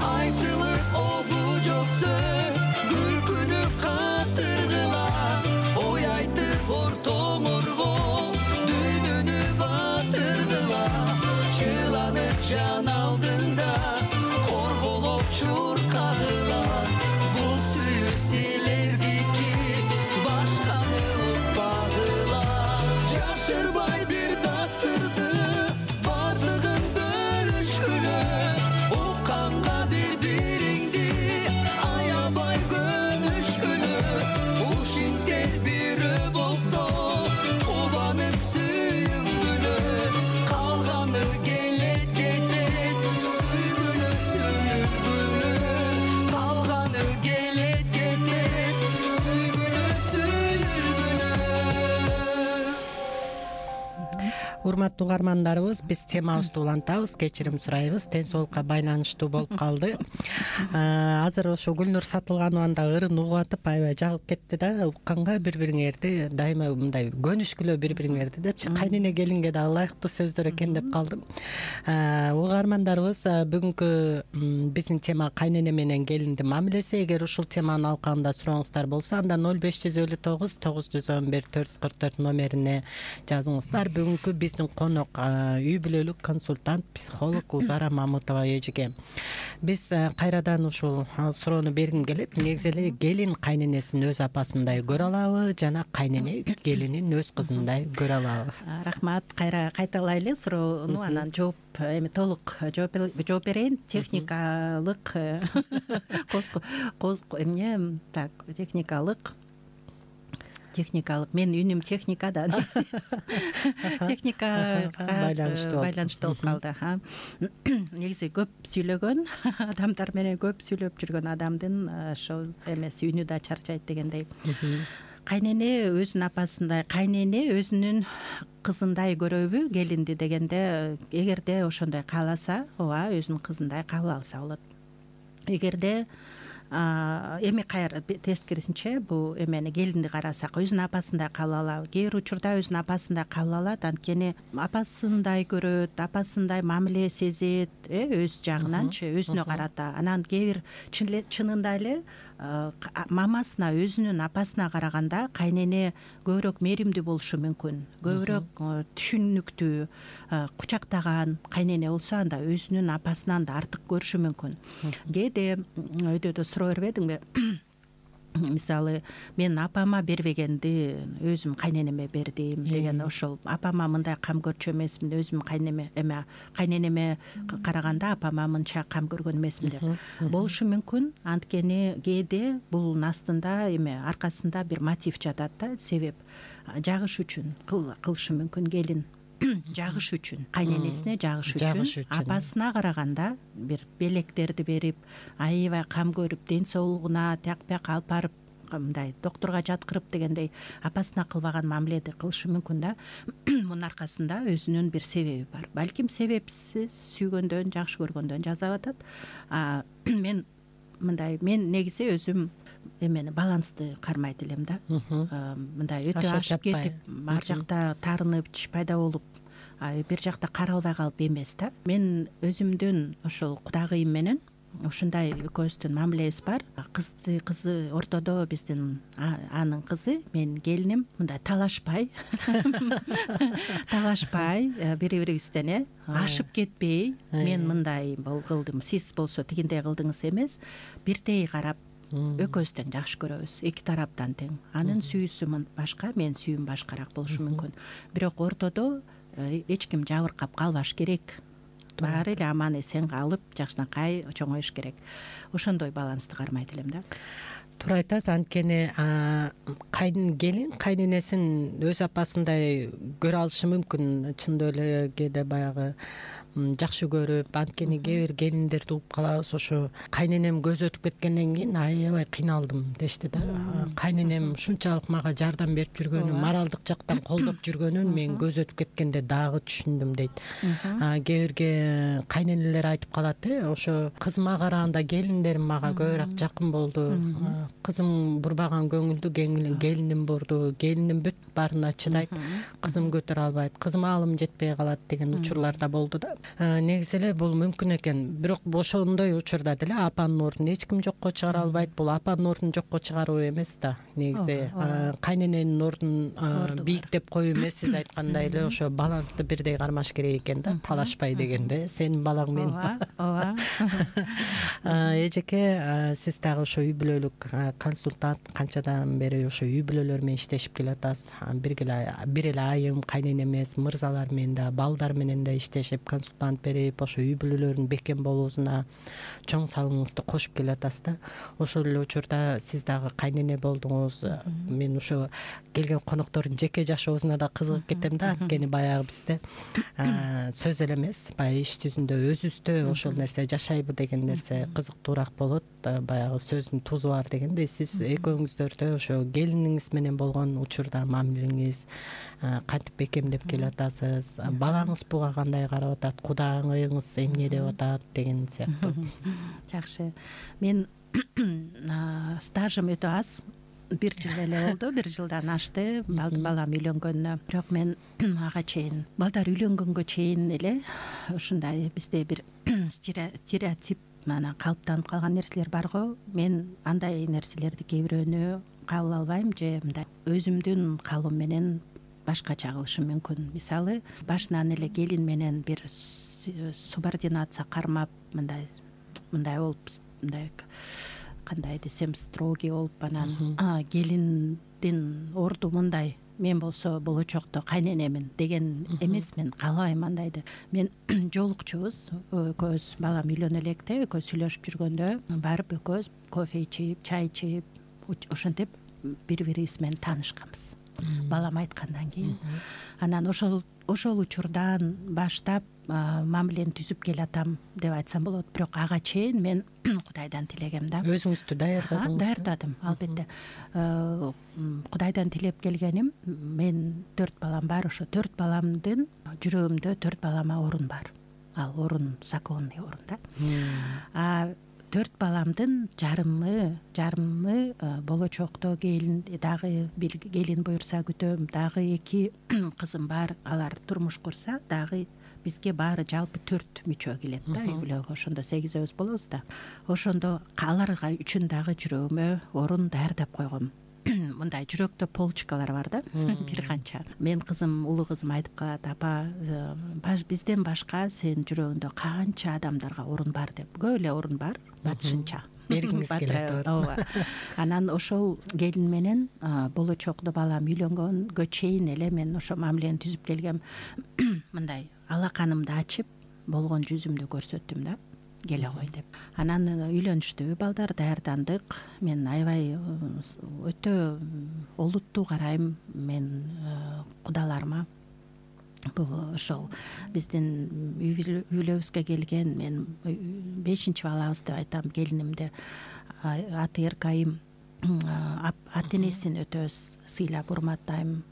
Айтылыр обу жок сөз, күлкүнүп катыргыла, ой айтып ортоңорго, дүйнөнү батыргыла, чыланып жан алдында, корголоп чуркагыла, бул сүйүү силердики, башканы укпагыла. Жашырбай бир дасырды, бардыгын бөлүшкүлө, укканга бири-бириңди аябай көнүшкүлө, ушинтер бири болсо кубанып сүйүнгүлө, калганы келет кетет сүйгүлө сүйүнгүлө, калганы келет кетет сүйгүлө сүйүнгүлө. Урматтуу угармандарыбыз, биз темабызды улантабыз, кечирим сурайбыз, тен соолукка байланыштуу болуп калды. Азыр ошо Гүлнур Сатылганованда ырын угуп атып аябай жагып кетти да, укканга бири-бириңерди дайыма мындай көнүшкүлө бири-бириңерди депчи, кайнене келинге да ылайыктуу сөздөр экен деп калдым. Угармандарыбыз, бүгүнкү биздин тема кайнене менен келиндин мамилеси. Эгер ушул теманын алкагында сурооңуздар болсо, анда ноль беш жүз элүү тогуз тогуз жүз он бир төрт жүз кырк төрт номерине жазыңыздар. Бүгүнкү биздин конок үй бүлөлүк консультант, психолог Узара Мамытова эжеге. Биз кайрадан ушул суроону бергим келет. Негизи эле келин кайненесин өз апасындай көрө алабы жана кайнене келинин өз кызындай көрө алабы? Рахмат, кайра кайталайлы суроону, анан жооп эми толук жооп берейин. Техникалык коз эмне так техникалык техникалык менин үнүм техникада техникага байланыштуу болуп калды. Негизи көп сүйлөгөн адамдар менен көп сүйлөп жүргөн адамдын ошол эмеси үнү да чарчайт дегендей. Кайнене өзүнүн апасындай, кайнене өзүнүн кызындай көрөбү келинди дегенде, эгерде ошондой кааласа, ооба өзүнүн кызындай кабыл алса болот. Эгерде эми кайра тескерисинче бул эмени келинди карасак өзүнүн апасындай кабыл алат, кээ бир учурда өзүнүн апасындай кабыл алат, анткени апасындай көрөт, апасындай мамиле сезет, э өз жагынанчы өзүнө карата. Анан кээ бир чынында эле мамасына, өзүнүн апасына караганда кайнене көбүрөөк мээримдүү болушу мүмкүн, көбүрөөк түшүнүктүү, кучактаган кайнене болсо анда өзүнүн апасынан да артык көрүшү мүмкүн. Кээде өйдөдө суроо бербедиңби? Мисалы, мен апама бербегенди өзүм кайненеме бердим деген, ошол апама мындай кам көрчү эмесмин, өзүм кайнеме эме кайненеме караганда апама мынча кам көргөн эмесмин деп болушу мүмкүн. Анткени кээде бунун астында эме аркасында бир мотив жатат да, себеп жагыш үчүн кылышы мүмкүн келин. Жагыш үчүн, кайненесине жагыш үчүн, апасына караганда бир белектерди берип, аябай кам көрүп, ден соолугуна тияк бияка алып барып, мындай доктурга жаткырып дегендей апасына кылбаган мамиледи кылышы мүмкүн да. Мунун аркасында өзүнүн бир себеби бар. Балким себепсиз сүйгөндөн, жакшы көргөндөн жасап атат. Мен мындай, мен негизи өзүм эмени балансты кармайт элем да. Мындай өтө ашып кетип, ар жакта таарынып, чиш пайда болуп, бир жакта каралбай калып эмес да. Мен өзүмдүн ошол кудагыйым менен ушундай экөөбүздүн мамилебиз бар. Кызды кызы ортодо биздин анын кызы, менин келиним мындай талашпай, талашпай бири бирибизден э ашып кетпей, мен мындай кылдым, сиз болсо тигиндей кылдыңыз эмес, бирдей карап экөөбүздөн жакшы көрөбүз, эки тараптан тең. Анын сүйүүсү башка, менин сүйүүм башкараак болушу мүмкүн. Бирок ортодо эч ким жабыркап калбаш керек. Баары эле аман эсен калып, жакшынакай чоңоюш керек. Ошондой балансты кармайт элем да. Туура айтасыз, анткени кайын келин кайненесин өз апасындай көрө алышы мүмкүн. Чындап эле кээде баягы жакшы көрүп, анткени кээ бир келиндерди угуп калабыз, ошо кайненем көз өтүп кеткенден кийин аябай кыйналдым дешти да. Кайненем ушунчалык мага жардам берип жүргөнүн, моралдык жактан колдоп жүргөнүн мен көз өтүп кеткенде дагы түшүндүм дейт. Кээ бирге кайненелер айтып калат, э ошо кызыма караганда келиндерим мага көбүрөөк жакын болду. Кызым бурбаган көңүлдү келиним бурду, келиним бүт баарына чыдайт, кызым көтөрө албайт, кызым аалым жетпей калат деген учурлар да болду да. Негизи эле бул мүмкүн экен, бирок ошондой учурда деле апанын ордун эч ким жокко чыгара албайт. Бул апанын ордун жокко чыгаруу эмес да, негизи кайнененин ордун бийиктеп коюу эмес. Сиз айткандай эле ошо балансты бирдей кармаш керек экен да, талашпай дегенде. Сенин балаң мен. Ооба. Эжеке, сиз дагы ошо үй бүлөлүк консультант, канчадан бери ошо үй бүлөлөр менен иштешип келатасыз. Бир эле айым кайнене эмес, мырзалар менен да, балдар менен да иштешип, консультант берип, ошо үй бүлөлөрдүн бекем болуусуна чоң салымыңызды кошуп келатасыз да. Ошол эле учурда сиз дагы кайнене болдуңуз. Мен ошо келген коноктордун жеке жашоосуна да кызыгып кетем да, анткени баягы бизде сөз эле эмес, баягы иш жүзүндө өзүбүздө ошол нерсе жашайбы деген нерсе кызыктуураак болот. Баягы сөздүн тузу бар дегендей, сиз экөөңүздөрдө ошо келиниңиз менен болгон учурда мамилеңиз кантип бекемдеп келатасыз, балаңыз буга кандай карап атат, кудагыңыз эмне деп атат деген сыяктуу. Жакшы. Мен стажым өтө аз, бир жыл эле болду, бир жылдан ашты балам үйлөнгөнүнө. Бирок мен ага чейин, балдар үйлөнгөнгө чейин эле ушундай бизде бир стереотип мана калыптанып калган нерселер бар го. Мен андай нерселерди кээ бирөөнү кабыл албайм, же мындай өзүмдүн калыбым менен башкача кылышым мүмкүн. Мисалы, башынан эле келин менен бир субординация кармап, мындай мындай болуп, мындай кандай десем, строгий болуп, анан келиндин орду мындай, мен болсо болочокто кайненемин деген эмес, мен каалабайм андайды. Мен жолукчубуз, экөөбүз балам үйлөнө электе, экөөбүз сүйлөшүп жүргөндө барып экөөбүз кофе ичип, чай ичип, ошентип бири бирибиз менен таанышканбыз. Балам айткандан кийин. Анан ошол ошол учурдан баштап мамилени түзүп келатам деп айтсам болот. Бирок ага чейин мен Кудайдан тилегем да. Өзүңүздү даярдадыңыз? Даярдадым, албетте. Кудайдан тилеп келгеним, мен төрт балам бар, ошо төрт баламдын жүрөгүмдө төрт балама орун бар. Ал орун законный орун да. төрт баламдын жарымы жарымы болочокто келин дагы бир келин буюрса күтөм, дагы эки кызым бар, алар турмуш курса дагы бизге баары жалпы төрт мүчө келет да үй бүлөгө. Ошондо сегизөөбүз болобуз да. Ошондо аларга үчүн дагы жүрөгүмө орун даярдап койгом. Мындай жүрөктө полочкалар бар да, бир канча. Мен кызым, улуу кызым айтып калат: апа, бизден башка сенин жүрөгүндө канча адамдарга орун бар деп. Көп эле орун бар, батышынча бергиңиз келет. ооба. Анан ошол келин менен болочокто балам үйлөнгөнгө чейин эле мен ошо мамилени түзүп келгем. Мындай алаканымды ачып, болгон жүзүмдү көрсөттүм да, келе кой деп. Анан үйлөнүштү балдар, даярдандык. Мен аябай өтө олуттуу карайм мен кудаларыма. Бул ошол биздин үй бүлөбүзгө келген, мен бешинчи балабыз деп айтам, келинимди аты Эркайым. Ата энесин өтө сыйлап урматтайм.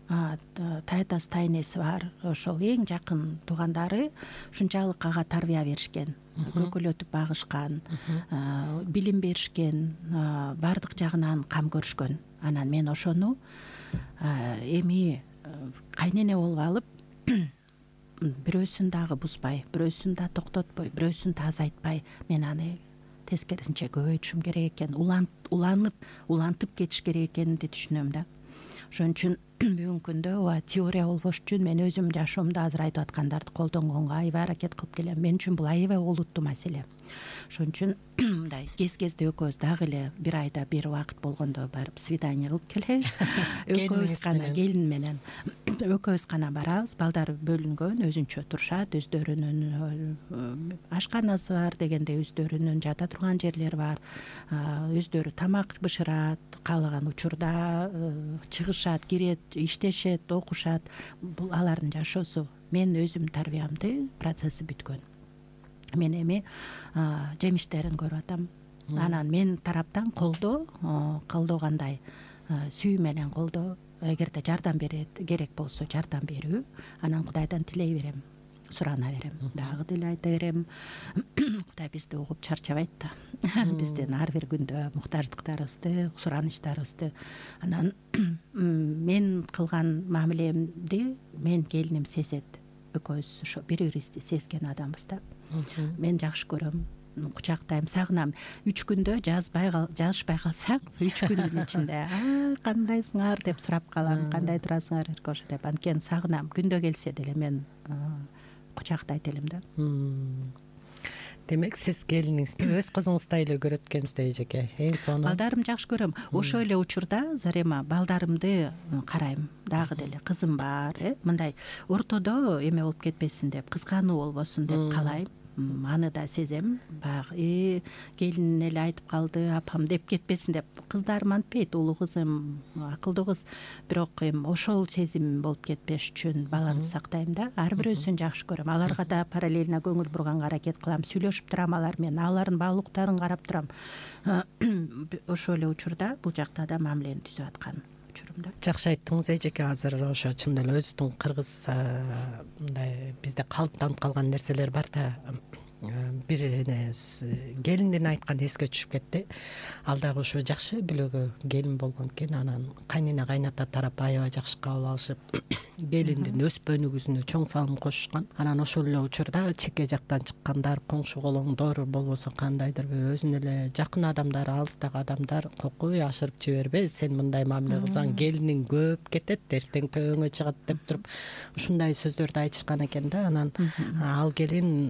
Тайтасы тайнеси бар. Ошол эң жакын туугандары ушунчалык ага тарбия беришкен, көкөлөтүп багышкан, билим беришкен, баардык жагынан кам көрүшкөн. Анан мен ошону эми кайнене болуп алып, бирөөсүн дагы бузбай, бирөөсүн да токтотпой, бирөөсүн да азайтпай, мен аны тескерисинче көбөйтүшүм керек экен, уланып улантып кетиш керек экенимди түшүнөм да. Ошон үчүн бүгүнкү күндө ооба теория болбош үчүн мен өзүм жашоомдо азыр айтып аткандарды колдонгонго аябай аракет кылып келем. Мен үчүн бул аябай олуттуу маселе. Ошон үчүн мындай кез-кезде экөөбүз дагы эле бир айда бир убакыт болгондо барып свидание кылып келебиз. Экөөбүз гана, келин менен экөөбүз гана барабыз. Балдар бөлүнгөн, өзүнчө турушат, өздөрүнүн ашканасы бар дегенде, өздөрүнүн жата турган жерлери бар, өздөрү тамак бышырат, каалаган учурда чыгышат, кирет, иштешет, окушат. Бул алардын жашоосу. Мен өзүм тарбиямды процесси бүткөн. Мен эми жемиштерин көрүп атам. Анан мен тараптан колдоо, колдоо кандай? Сүйүү менен колдоо. Эгерде жардам берет, керек болсо жардам берүү. Анан Кудайдан тилей берем, сурана берем. Дагы деле айта берем. Кудай бизди угуп чарчабайт да. Биздин ар бир күндө муктаждыктарыбызды, суранычтарыбызды. Анан мен кылган мамилемди мен келиним сезет. Экөөбүз ошо бири-бирибизди сезген адамбыз да. Мен жакшы көрөм, кучактайм, сагынам. Үч күндө жазбай жазышпай калсак, үч күндүн ичинде кандайсыңар деп сурап калам, кандай турасыңар Эркоша деп. Анткени сагынам. Күндө келсе деле мен кучактайт элем да. Демек сиз келиниңизди өз кызыңыздай эле көрөт экенсиз эжеке. Эң сонун. Балдарым жакшы көрөм. Ошол эле учурда Зарема балдарымды карайм. Дагы деле кызым бар, э, мындай ортодо эме болуп кетпесин деп, кызгануу болбосун деп каалайм. Аны да сезем. Баягы келин эле айтып калды, апам деп кетпесин деп. Кыздарым антпейт, улуу кызым акылдуу кыз. Бирок эми ошол сезим болуп кетпеш үчүн баланы сактайм да. Ар бирөөсүн жакшы көрөм. Аларга да параллельно көңүл бурганга аракет кылам. Сүйлөшүп турам алар менен, алардын баалуулуктарын карап турам. Ошол эле учурда бул жакта да мамилени түзүп аткан. Жакшы айттыңыз эжеке. Азыр ошо чын эле өзүбүздүн кыргыз мындай бизде калыптанып калган нерселер бар да. Бир эне келиндин айтканы эске түшүп кетти. Ал дагы ошо жакшы бүлөгө келин болгон экен. Анан кайнене кайната тарап аябай жакшы кабыл алышып, келиндин өспөнүгүзүнө чоң салым кошушкан. Анан ошол эле учурда чекке жактан чыккандар, коңшу колоңдор болбосо кандайдыр бир өзүнүн эле жакын адамдары, алыстагы адамдар кокуй ашырып жибербе, сен мындай мамиле кылсаң келиниң көп кетет, эртең төбөңө чыгат деп туруп ушундай сөздөрдү айтышкан экен да. Анан ал келин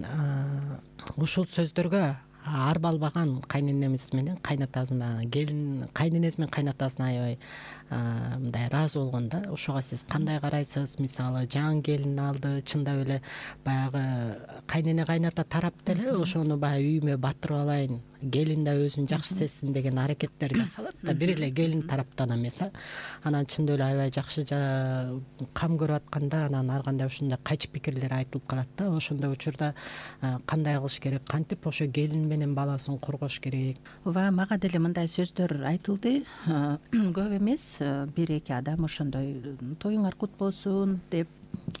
ушул сөздөргө арбалбаган кайненемиз менен кайнатасына, келин кайненеси менен кайнатасына аябай мындай ыраазы болгон да. Ошого сиз кандай карайсыз? Мисалы жаңы келин алды, чындап эле баягы кайнене кайната тарап деле ошону баягы үйүмө батырып алайын, келин да өзүн жакшы сезсин деген аракеттер жасалат да, бир эле келин тараптан эмес. Анан чындап эле аябай жакшы кам көрүп атканда анан ар кандай ушундай кайчы пикирлер айтылып калат да. Ошондой учурда кандай кылыш керек, кантип ошо келин менен баласын коргош керек? Ооба, мага деле мындай сөздөр айтылды. Көп эмес, бир эки адам ошондой тоюңар кут болсун деп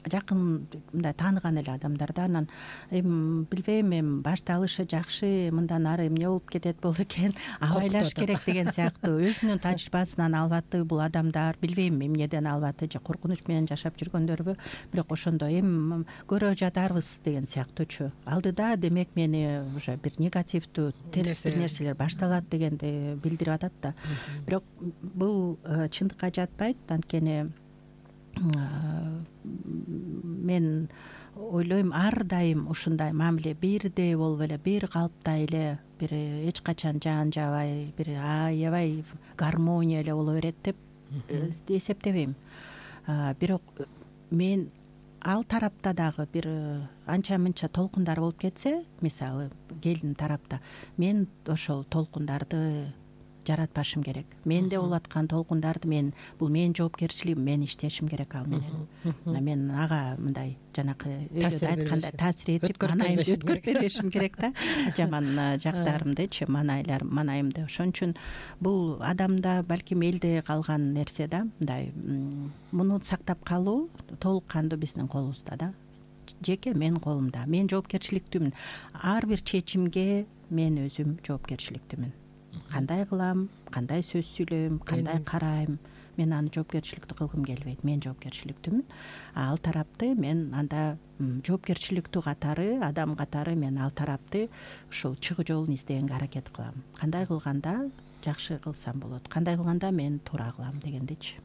жакын мындай тааныган эле адамдар да. Анан эми билбейм, эми башталышы жакшы, мындан ары эмне болуп кетет болду экен, абайлаш керек деген сыяктуу өзүнүн тажрыйбасынан албаты бул адамдар, билбейм эмнеден албаты, же коркунуч менен жашап жүргөндөрбү, бирок ошондо эми көрө жатарбыз деген сыяктуучу. Алдыда демек мени уже бир негативдүү терс бир нерселер башталат дегенди билдирип атат да. Бирок бул чындыкка жатпайт. Анткени мен ойлойм ар дайым ушундай мамиле бирдей болуп эле, бир калыпта эле, бир эч качан жан жабай, бир аябай гармония эле боло берет деп эсептебейм. Бирок мен ал тарапта дагы бир анча мынча толкундар болуп кетсе, мисалы келин тарапта, мен ошол толкундарды жаратпашым керек. Менде болуп аткан толкундарды мен, бул менин жоопкерчилигим, мен иштешим керек ал менен. Мен ага мындай жанакы өйдө айткандай таасир этип, манайымды өткөртпешим керек да, жаман жактарымдычы, манайлар манайымды. Ошон үчүн бул адамда, балким элде калган нерсе да, мындай муну сактап калуу толук кандуу биздин колубузда да. Жеке менин колумда. Мен жоопкерчиликтүүмүн. Ар бир чечимге мен өзүм жоопкерчиликтүүмүн. Кандай кылам, кандай сөз сүйлөйм, кандай карайм, мен аны жоопкерчиликтүү кылгым келбейт. Мен жоопкерчиликтүүмүн. Ал тарапты мен анда жоопкерчиликтүү катары, адам катары мен ал тарапты ушул чыгуу жолун издегенге аракет кылам. Кандай кылганда жакшы кылсам болот, кандай кылганда мен туура кылам дегендичи.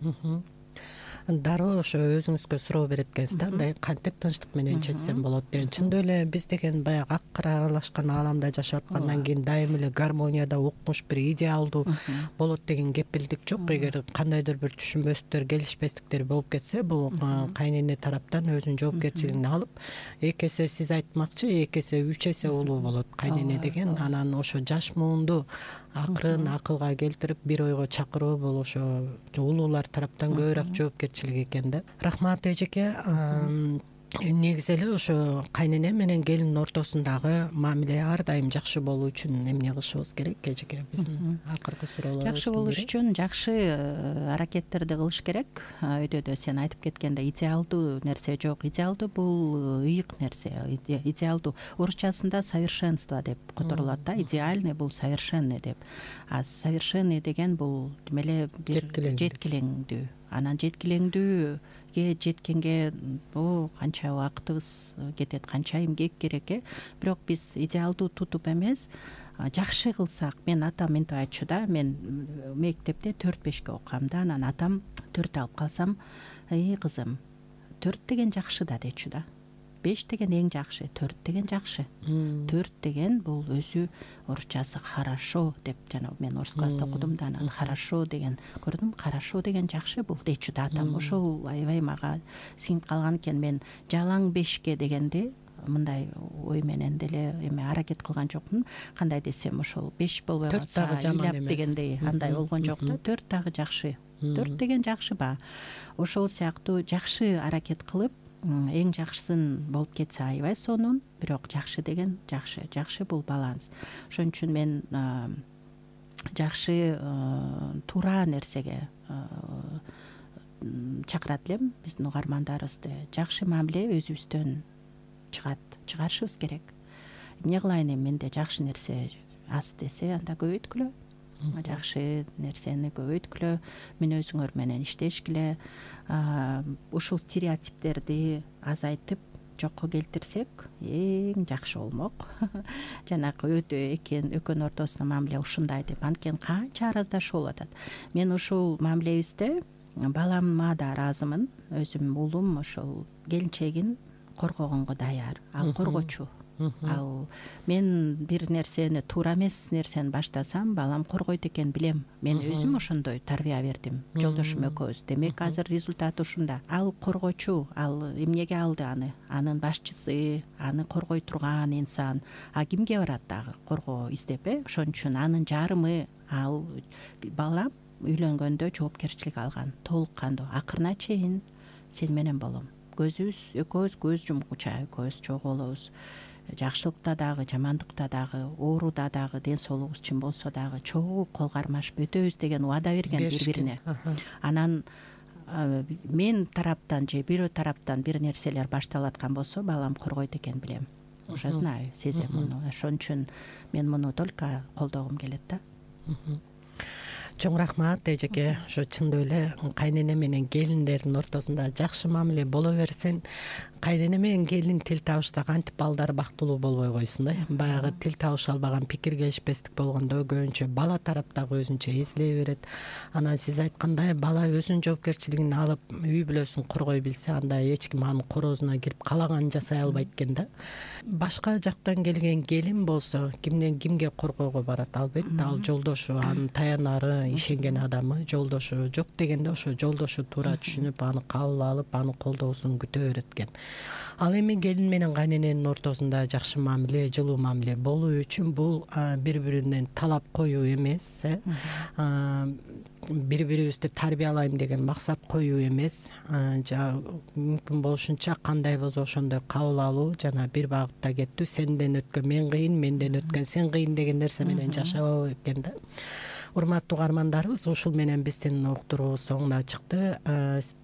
Дароо ошо өзүңүзгө суроо берет экенсиз да, андай кантип тынчтык менен чечсем болот деген. Чындап эле биз деген баягы ак кара аралашкан ааламда жашап аткандан кийин дайым эле гармонияда укмуш бир идеалдуу болот деген кеп билдик жок. Эгер кандайдыр бир түшүнбөстүктөр, келишпестиктер болуп кетсе, бул кайнене тараптан өзүнүн жоопкерчилигин алып, эки эсе сиз айтмакчы, эки эсе үч эсе улуу болот кайнене деген. Анан ошо жаш муунду акырын акылга келтирип бир ойго чакыруу, бул ошо улуулар тараптан көбүрөөк жоопкерчилик экен да. Рахмат эжеке. Негизи эле ошо кайнене менен келиндин ортосундагы мамиле ар дайым жакшы болуу үчүн эмне кылышыбыз керек эжеке? Биздин акыркы суроолор жакшы болуш үчүн жакшы аракеттерди кылыш керек. Өйдөдө сен айтып кеткендей, идеалдуу нерсе жок. Идеалдуу бул ыйык нерсе. Идеалдуу орусчасында совершенство деп которулат да. Идеальный бул совершенный деп. А совершенный деген бул демеле бир жеткилеңдүү. Анан жеткилеңдүү жеткенге о канча убактыбыз кетет, канча эмгек керек э. Бирок биз идеалдуу тутуп эмес, жакшы кылсак, мен атам мынтип айтчу да, мен мектепте төрт бешке окугам да, анан атам төрт алып калсам, эй кызым, төрт деген жакшы да дечү да. беш деген эң жакшы, төрт деген жакшы. төрт деген бул өзү орусчасы хорошо деп, жана мен орус класста окудум да, анан хорошо деген көрдүм, хорошо деген жакшы бул дечү да атам. Ошол аябай мага сиңип калган экен. Мен жалаң бешке дегенди мындай ой менен деле эме аракет кылган жокмун. Кандай десем, ошол беш болбой калса ыйлап дегендей андай болгон жок да. төрт дагы жакшы. төрт деген жакшы ба. Ошол сыяктуу жакшы аракет кылып, эң жакшысын болуп кетсе аябай сонун, бирок жакшы деген жакшы. Жакшы бул баланс. Ошон үчүн мен жакшы туура нерсеге чакырат элем биздин угармандарыбызды. Жакшы мамиле өзүбүздөн чыгат, чыгарышыбыз керек. Эмне кылайын эми, менде жакшы нерсе аз десе, анда көбөйткүлө. Жакшы нерсени көбөйткүлө, мүнөзүңөр менен иштешкиле. Ушул стереотиптерди азайтып жокко келтирсек эң жакшы болмок. Жанакы өтө экен экөөнүн ортосунда мамиле ушундай деп, анткени канча араздашуу болуп атат. Мен ушул мамилебизде балама да ыраазымын. Өзүм уулум ошол келинчегин коргогонго даяр. Ал коргочу. Ал мен бир нерсени, туура эмес нерсени баштасам, балам коргойт экен билем. Мен өзүм ошондой тарбия бердим, жолдошум экөөбүз. Демек азыр результат ушунда. Ал коргочу, ал эмнеге алды аны? Анын башчысы, аны коргой турган инсан. А кимге барат дагы коргоо издеп э? Ошон үчүн анын жарымы, ал балам үйлөнгөндө жоопкерчилик алган, толук кандуу. Акырына чейин сен менен болом. Көзүбүз экөөбүз көз жумгуча экөөбүз чогуу болобуз. Жакшылыкта дагы, жамандыкта дагы, ооруда дагы, ден соолугубуз чын болсо дагы чогуу кол кармашып өтөбүз деген убада берген бири-бирине. Анан мен тараптан же бирөө тараптан бир нерселер башталып аткан болсо балам коргойт экен билем, уже знаю, сезем муну. Ошон үчүн мен муну только колдогум келет да. Чоң рахмат эжеке. Ошо чындап эле кайнене менен келиндердин ортосунда жакшы мамиле боло берсен, кайнене менен келин тил табышса кантип балдары бактылуу болбой койсун да. Баягы тил табыша албаган, пикир келишпестик болгондо көбүнчө бала тарап дагы өзүнчө эзилей берет. Анан сиз айткандай бала өзүнүн жоопкерчилигин алып үй бүлөсүн коргой билсе, анда эч ким анын короозуна кирип калаганын жасай албайт экен да. Башка жактан келген келин болсо кимден кимге коргоого барат? Албетте ал жолдошу, анын таянары, ишенген адамы, жолдошу. Жок дегенде ошо жолдошу туура түшүнүп, аны кабыл алып, анын колдоосун күтө берет экен. Ал эми келин менен кайнененин ортосунда жакшы мамиле, жылуу мамиле болуу үчүн бул бири-биринен талап коюу эмес, бири-бирибизди тарбиялайм деген максат коюу эмес, мүмкүн болушунча кандай болсо ошондой кабыл алуу, жана бир багытта кеттүү, сенден өткөн мен кыйын, менден өткөн сен кыйын деген нерсе менен жашабоо экен да. Урматтуу угармандарыбыз, ушул менен биздин уктуруубуз соңуна чыкты.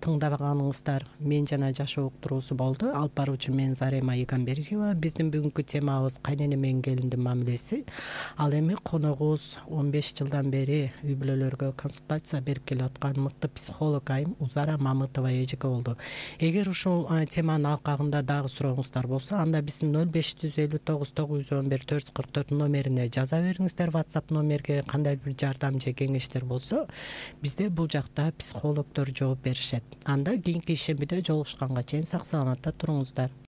Тыңдабаганыңыздар мен жана жашоо уктуруусу болду. Алып баруучу мен Зарема Игамбердиева. Биздин бүгүнкү темабыз кайнене менен келиндин мамилеси. Ал эми коногубуз он беш жылдан бери үй бүлөлөргө консультация берип келип аткан мыкты психолог айым Узара Мамытова эжеке болду. Эгер ушул теманын алкагында дагы сурооңуздар болсо, анда биздин нөл беш жүз элүү тогуз тогуз жүз он бир төрт жүз кырк төрт номерине жаза бериңиздер. WhatsApp номерге кандай бир же кеңештер болсо, бизде бул жакта психологдор жооп беришет. Анда кийинки ишембиде жолугушканга чейин сак саламатта туруңуздар.